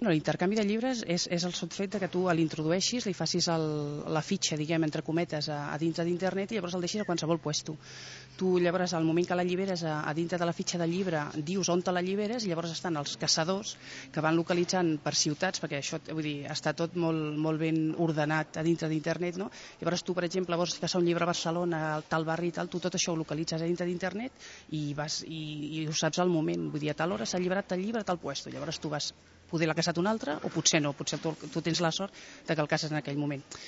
L'intercanvi de llibres és el sol fet que tu l'introdueixis, li facis la fitxa, diguem, entre cometes, a dintre d'internet i llavors el deixis a qualsevol puesto. Tu llavors, al moment que l'alliberes a dintre de la fitxa del llibre, dius on te l'alliberes i llavors estan els caçadors que van localitzant per ciutats, perquè això, vull dir, està tot molt ben ordenat a dintre d'internet, no? Llavors tu, per exemple, vols caçar un llibre a Barcelona, al tal barri i tal, tu tot això ho localitzes a dintre d'internet i ho saps al moment, vull dir, a tal hora s'ha alliberat tal llibre a tal puesto, llavors tu vas, poder l'ha caçat un altre o potser no, potser tu tens la sort que el caces en aquell moment.